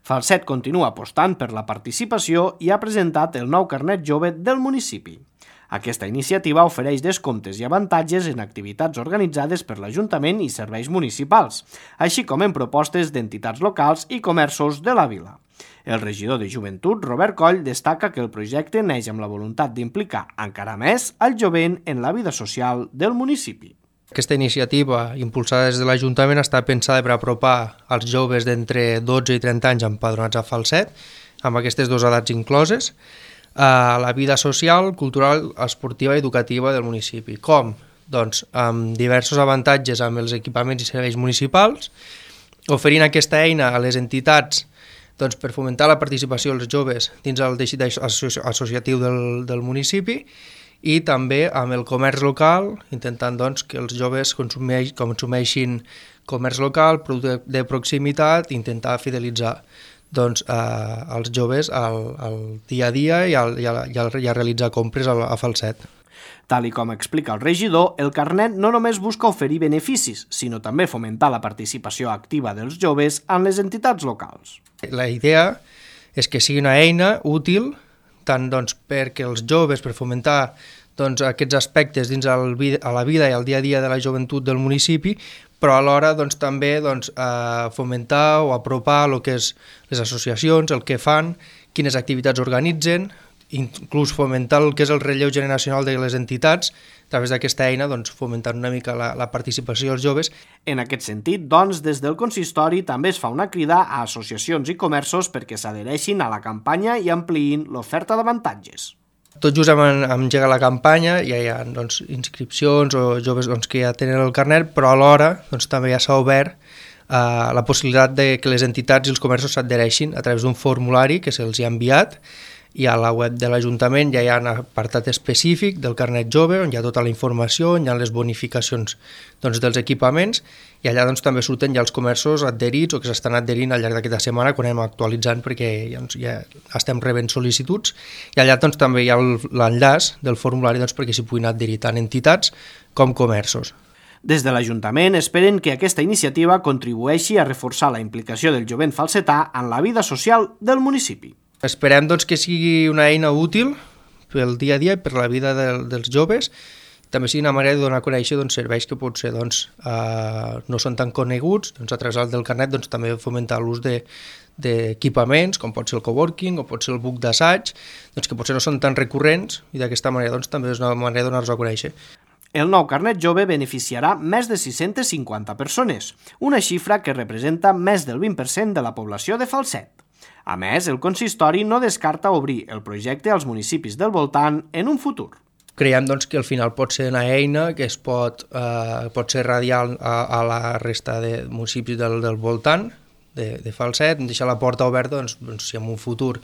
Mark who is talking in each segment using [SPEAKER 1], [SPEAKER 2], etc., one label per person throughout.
[SPEAKER 1] Falset continua apostant per la participació i ha presentat el nou carnet jove del municipi. Aquesta iniciativa ofereix descomptes i avantatges en activitats organitzades per l'Ajuntament i serveis municipals, així com en propostes d'entitats locals i comerços de la vila. El regidor de Joventut, Robert Coll, destaca que el projecte neix amb la voluntat d'implicar encara més el jovent en la vida social del municipi.
[SPEAKER 2] Aquesta iniciativa, impulsada des de l'Ajuntament, està pensada per apropar els joves d'entre 12 i 30 anys empadronats a Falset, amb aquestes dues edats incloses, a la vida social, cultural, esportiva i educativa del municipi. Com? Doncs amb diversos avantatges amb els equipaments i serveis municipals, oferint aquesta eina a les entitats per fomentar la participació dels joves dins el teixit associatiu del municipi, i també amb el comerç local, intentant que els joves consumeixin comerç local, producte de proximitat, i intentar fidelitzar els joves al dia a dia i a realitzar compres a Falset.
[SPEAKER 1] Tal com explica el regidor, el carnet no només busca oferir beneficis, sinó també fomentar la participació activa dels joves en les entitats locals.
[SPEAKER 2] La idea és que sigui una eina útil tant perquè els joves, per fomentar aquests aspectes dins a la vida i al dia a dia de la joventut del municipi, però alhora també fomentar o apropar el que és les associacions, el que fan, quines activitats organitzen, inclús fomentar el que és el relleu generacional de les entitats, a través d'aquesta eina fomentant una mica la participació dels joves.
[SPEAKER 1] En aquest sentit, des del consistori també es fa una crida a associacions i comerços perquè s'adhereixin a la campanya i ampliïn l'oferta d'avantatges.
[SPEAKER 2] Tot just hem engegat la campanya, ja hi ha inscripcions o joves que ja tenen el carnet, però alhora també ja s'ha obert la possibilitat que les entitats i els comerços s'adhereixin a través d'un formulari que se'ls ha enviat, i a la web de l'Ajuntament ja hi ha un apartat específic del carnet jove on hi ha tota la informació, on hi ha les bonificacions dels equipaments, i allà també surten ja els comerços adherits o que s'estan adherint al llarg d'aquesta setmana quan anem actualitzant perquè ja estem rebent sol·licituds, i allà també hi ha l'enllaç del formulari perquè s'hi puguin adherir tant entitats com comerços.
[SPEAKER 1] Des de l'Ajuntament esperen que aquesta iniciativa contribueixi a reforçar la implicació del jovent falsetà en la vida social del municipi.
[SPEAKER 2] Esperem que sigui una eina útil pel dia a dia i per la vida dels joves, també sigui una manera de donar a conèixer serveis que potser no són tan coneguts, a través del carnet també fomentar l'ús d'equipaments, com pot ser el coworking o pot ser el buc d'assaig, que potser no són tan recurrents, i d'aquesta manera també és una manera de donar-los a conèixer.
[SPEAKER 1] El nou carnet jove beneficiarà més de 650 persones, una xifra que representa més del 20% de la població de Falset. A més, el consistori no descarta obrir el projecte als municipis del voltant en un futur.
[SPEAKER 2] Creiem que al final pot ser una eina que pot ser radial a la resta de municipis del voltant de Falset, deixar la porta oberta si en un futur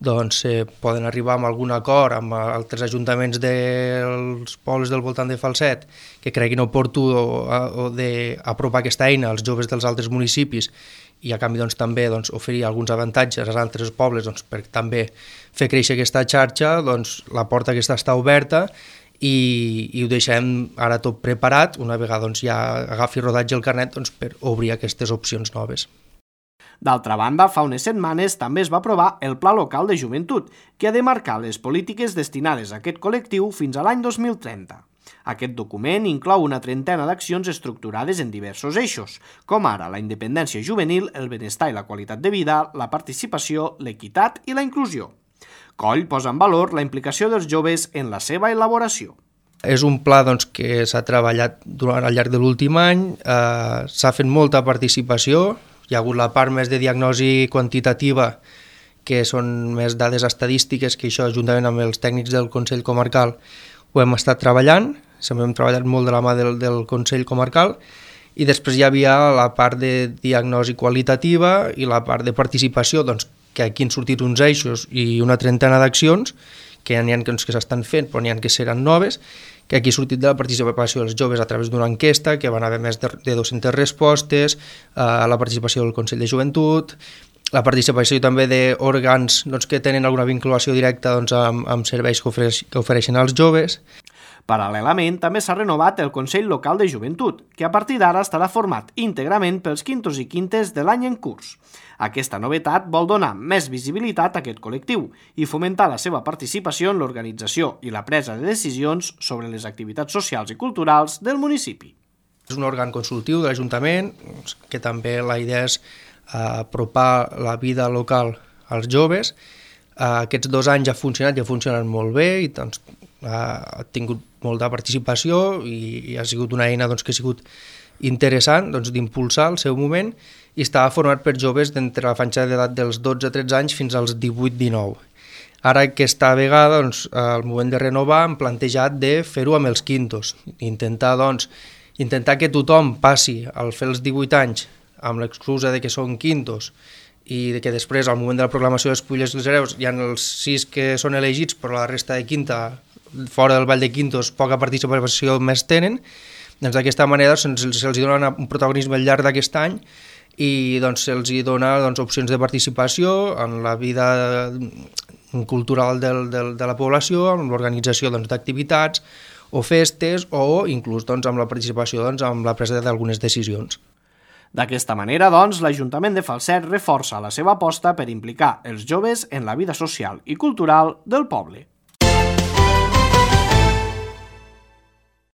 [SPEAKER 2] poden arribar a algun acord amb altres ajuntaments dels pobles del voltant de Falset que creguin oportú d'apropar aquesta eina als joves dels altres municipis i a canvi també oferir alguns avantatges als altres pobles per també fer créixer aquesta xarxa, la porta aquesta està oberta i ho deixem ara tot preparat una vegada ja agafi rodatge el carnet per obrir aquestes opcions noves.
[SPEAKER 1] D'altra banda, fa unes setmanes també es va aprovar el Pla Local de Joventut, que ha de marcar les polítiques destinades a aquest col·lectiu fins a l'any 2030. Aquest document inclou una trentena d'accions estructurades en diversos eixos, com ara la independència juvenil, el benestar i la qualitat de vida, la participació, l'equitat i la inclusió. Coll posa en valor la implicació dels joves en la seva elaboració.
[SPEAKER 2] És un pla que s'ha treballat al llarg de l'últim any, s'ha fet molta participació, hi ha hagut la part més de diagnosi quantitativa, que són més dades estadístiques, que això, juntament amb els tècnics del Consell Comarcal, ho hem estat treballant, hem treballat molt de la mà del Consell Comarcal, i després hi havia la part de diagnosi qualitativa i la part de participació, que aquí han sortit uns eixos i una trentena d'accions, que n'hi ha que s'estan fent, però n'hi ha que seran noves, que aquí ha sortit de la participació dels joves a través d'una enquesta, que van haver més de 200 respostes, la participació del Consell de Joventut, la participació també d'òrgans que tenen alguna vinculació directa amb serveis que ofereixen als joves.
[SPEAKER 1] Paral·lelament, també s'ha renovat el Consell Local de Joventut, que a partir d'ara estarà format íntegrament pels quintos i quintes de l'any en curs. Aquesta novetat vol donar més visibilitat a aquest col·lectiu i fomentar la seva participació en l'organització i la presa de decisions sobre les activitats socials i culturals del municipi.
[SPEAKER 2] És un òrgan consultiu de l'Ajuntament, que també la idea és apropar la vida local als joves. Aquests 2 anys ha funcionat i ha funcionat molt bé i doncs, ha tingut molta participació i ha sigut una eina que ha sigut interessant d'impulsar el seu moment i estava format per joves d'entre la franja d'edat dels 12-13 anys fins als 18-19. Ara aquesta vegada, al moment de renovar, hem plantejat de fer-ho amb els quintos, intentar que tothom passi al fer els 18 anys amb l'excusa de que són quintos i que després, al moment de la proclamació de les Fulles dels Hereus, hi ha els 6 que són elegits, però la resta de quinta, fora del Vall de Quintos, poca participació més tenen. Doncs d'aquesta manera se'ls dona un protagonisme al llarg d'aquest any i se'ls dona opcions de participació en la vida cultural de la població, en l'organització d'activitats o festes o inclús amb la participació en la presa d'algunes decisions.
[SPEAKER 1] D'aquesta manera, l'Ajuntament de Falset reforça la seva aposta per implicar els joves en la vida social i cultural del poble.